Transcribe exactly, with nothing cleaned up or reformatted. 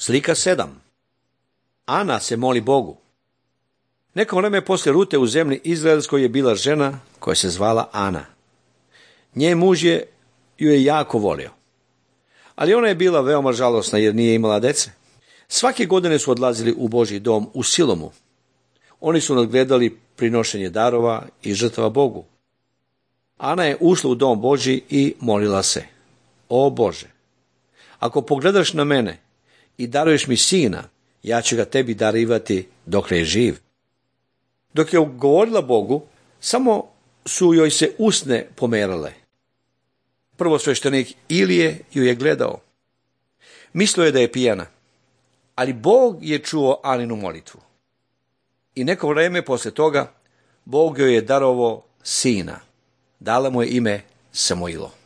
Slika sedam. Ana se moli Bogu. Neko vreme posle Rute u zemlji Izraelskoj je bila žena koja se zvala Ana. Njen muž je ju je jako volio. Ali ona je bila veoma žalosna jer nije imala dece. Svake godine su odlazili u Božji dom u Silomu. Oni su nadgledali prinošenje darova i žrtava Bogu. Ana je ušla u dom Božji i molila se: O Bože, ako pogledaš na mene i daruješ mi sina, ja ću ga tebi darivati dok je živ. Dok je govorila Bogu, samo su joj se usne pomerale. Prvosveštenik Ilije ju je gledao. Mislio je da je pijana, ali Bog je čuo Aninu molitvu. I neko vreme posle toga Bog joj je darovao sina. Dala mu je ime Samuilo.